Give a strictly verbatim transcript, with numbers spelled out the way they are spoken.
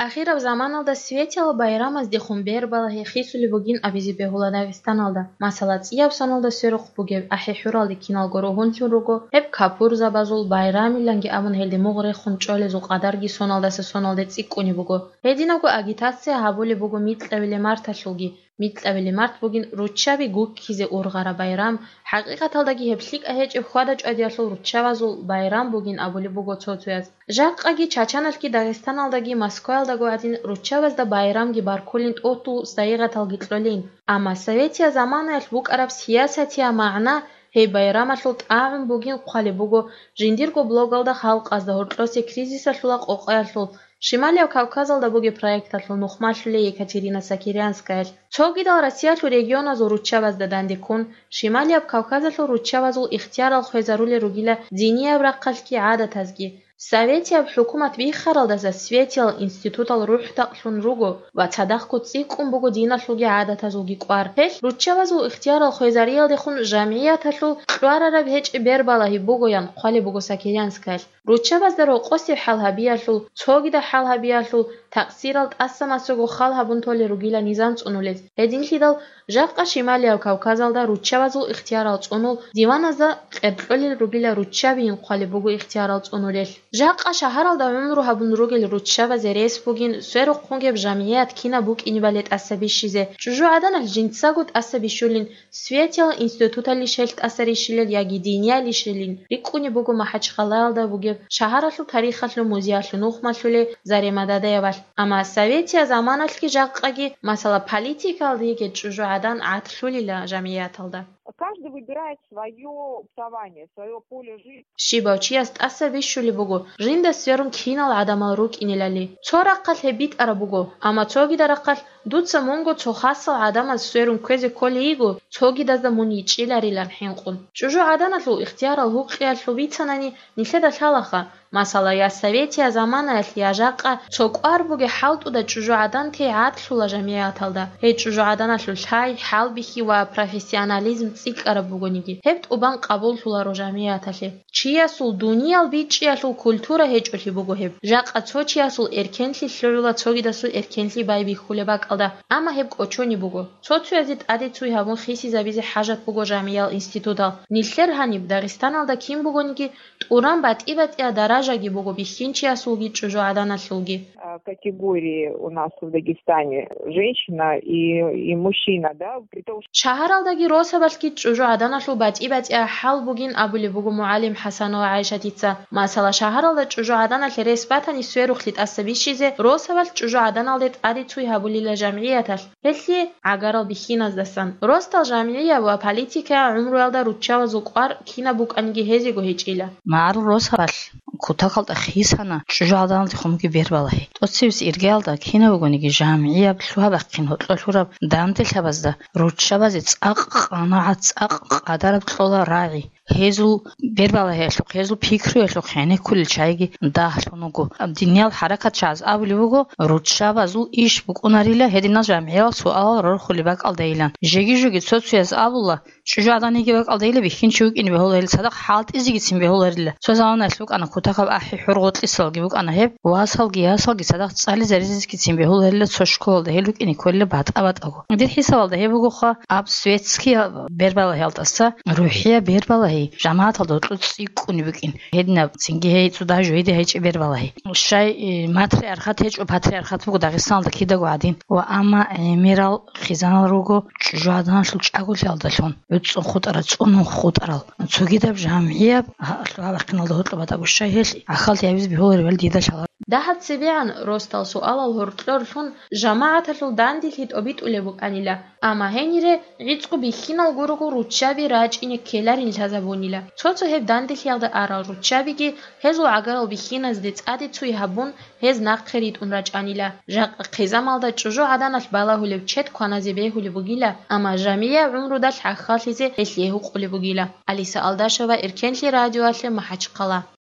Ахираб заманалда Светиял байрамаздехун бербалагьи хисулеб бугин абизе бегьула Дагъистаналда. Масала, цӀияб соналда сверухъ бугеб АхӀи-ХӀуралде киналго ругьунлъун руго, гьеб капурзабазул байрамиланги абун гьелде мугъ рехун чӀолезул къадарги соналдаса соналде цӀикӀкӀунеб буго. Гьединабго агитация гьабулеб буго микьабилеб марталъулги. Микьабилеб март бугин руччаби гуккизе ургъараб байрам, хӀакъикъаталдаги гьеб лъикӀа гьечӀеб хьвада-чӀвадиялъул руччабазул байрам бугин абулеб буго цо-цояз. Жакъаги Чачаналъги Дагъистаналдаги Москваялдаго гӀадин руччабазда байрамги баркулин, тӀутул сайигъаталги кьолин. Амма советия заманаялъ букӀараб сиясатиял магӀна гьей байрамалъул тӀагӀун бугин хъвалеб буго жиндирго блогалда халкъазда гьоркьосе кризисалъула къокъаялъул, Шималияб Кавказалда бугеб проекталъул нухмалъулей Екатерина Сокирянскаялъ. Цогидал Россиялъул регионазул руччабазда дандеккун, Шималияб Кавказалъул руччабазул ихтиярал хвезарулел ругила динияб рахъалъги гӀадатазги. Советияб хӀукумат биххаралдаса Светиял институтал рухӀдакълъун руго ва цадахъго цӀикӀкӀун буго диналъулги гӀадатазулги кӀвар. Гьелъ руччабазул ихтиярал хвезариялдехун жамгӀияталъул кьварараб гьечӀеб бербалагьи бугоян хъвалеб буго Сокирянскаялъ. Руччабазда рокъосеб хӀал гьабиялъул, цогидаб хӀал гьабиялъул, такъсирал тӀаса-масаго хал гьабун толел ругила низам цӀунулел. Гьединлъидал жакъа Шималияб Кавказалда руччабазул ихтиярал цӀунул, диваназда къеркьолел ругила руччабиин хъвалеб буго ихтиярал цӀунулел. Жакъа шагьаралда гӀумру гьабун ругел руччабазе рес бугин сверухъ бугеб жамгӀият кинаб букӀинебали тӀаса бищизе. ЧӀужугӀаданалъ жинцаго тӀаса бищулин, Светиял институталищ гьелъ тӀаса рищилел яги диниялищилин рикӀкӀунеб буго МахӀачхъалаялда бугеб шагьаралъул тарихалъул музеялъул нухмалъулей Зарема Дадаевалъ. Амма советия заманалъги жакъаги, масала, политикалда йигей чӀужугӀадан гӀадлъулила жамгӀияталда. Каждый выбирает свое путование, свое поле жизни. Щибав чияс тӀаса бищулеб буго, жинда сверун кинал гӀадамал рукӀинелали. Цо рахъалъ гьеб битӀараб буго, амма цогида рахъалъ дуца мунго цо хасал гӀадамаз сверун кквезе кколей йиго, цогидазда мун йичӀчӀиларилан хӀинкъун. ЧӀужугӀаданалъул ихтиярал гьукъиялъул бицанани нилъеда лъалаха, масала, я советия заманаялъ, я жакъа цо кӀвар бугей хӀалтӀуда чӀужугӀадан тей гӀадлъула жамгӀияталда. Гьей чӀужугӀаданалъул лъай, хӀалбихьи ва профессионализм цӀикӀкӀараб бугониги, гьеб тӀубан къабуллъуларо жамгӀияталъе. Чиясул дуниял бичӀчӀиялъул культура гьечӀолъи буго гьеб. Жакъа цо чиясул эркенлъи лъугӀула цогидасул эркенлъи байбихьулеб бакӀалда, амма гьеб кӀочониб буго. Цо-цоязе тӀаде цуй гьабун хисизабизе хӀажат буго жамгӀиял институтал. Нилъер гьаниб Дагъистаналда кин бугониги, тӀуран батӀи-батӀияб даражаги буго бихьинчиясулги чӀужугӀаданалъулги. А, категории у нас в Дагестане, женщина и, и мужчина, да, при том, что Шагьаралдаги росабалъги чӀужугӀаданалъул батӀи-батӀияб хӀал бугин абулеб буго мугӀалим ХӀасанова ГӀайшатица. Масала, шагьаралда чӀужугӀаданалъе рес батани сверухълъи тӀаса бищизе, росабалъ чӀужугӀаданалде тӀаде цуй гьабулила жамгӀияталъ. Гьелъие гӀагарал бихьиназдасан. Росдал жамгӀияб ва политикаяб гӀумруялда руччабазул кӀвар кинаб букӀаниги гьезего гьечӀила. МагӀарул росабалъ кутакалда хисана чӀужугӀаданалдехун бугеб бербалагьи. ТӀоцебесеб иргаялда кинаб бугониги жамгӀияб лъугьа-бахъин гьоркьор лъураб данделъабазда руччабазе цӀакъ къанагӀат, цӀакъ къадараб кьола рагӀи. Гьезул бербалагьиялъухъ, гьезул пикруялъухъ гӀенеккулел чагӀиги дагьлъун вуго. Диниял хӀаракатчагӀаз абулеб буго, руччабазул иш букӀунарила гьединал жамгӀиял суалал рорхулеб бакӀалдайилан. Жеги-жеги цо-цояз абула, чӀужугӀадан йигеб бакӀалдайила бихьинчи вукӀине бегьуларила, цадахъ хӀалтӀизегицин бегьуларила. Цо заманаялъ букӀана кутакаб ахӀи-хӀур гъоркьисалги букӀана гьеб, васалги ясалги цадахъ цӀализаризегицин бегьуларила цо школалда, гьел рукӀине кколила батӀа-батӀаго. Дир хӀисабалда гьеб бугоха, аб светскияб бербалагьиялдаса рухӀияб бербалагьи жамагӀаталда гьоркьор цӀикӀкӀунеб букӀин. Гьединаб цинги гьей цӀуда жойде гьечӀеб бербалагьи. Щай, э, матриархат гьечӀо, патриархат буго Дагъистаналда кидаго гӀадин. Ва амма гӀемерал хизанал руго чӀужугӀаданалъул чӀаголъиялдалъун, гӀуцӀун хутӀарал, цӀунун хутӀарал. Цогидаб жамгӀияб, гьа-, лъугьа-бахъиналда гьоркьоб батӀаго щай гьелъ гӀахьаллъи гьабизе бегьуларебали дида лъала. Дагьаб цебегӀан росдал суалал гьоркьор лъун, жамагӀаталъул дандилъи тӀобитӀулеб букӀанила, амма гьенире гӀицӀго бихьинал гурого руччаби рачӀине ккеларин лъазабунила. Цо-цо гьеб данделъиялда арал руччабиги гьезул гӀагарал бихьиназде цӀаде цуй гьабун, гьез нахъе ритӀун рачӀанила. Жакъа хъизамалда чӀужугӀаданалъ балагьулеб чед кваназе бегьулеб бугила, амма жамгӀияб гӀумрудалъ гӀахьаллъизе гьелъие гьукъулеб бугила. Алиса Алдашева, Эркенлъи радиоялъе, МахӀачхъала.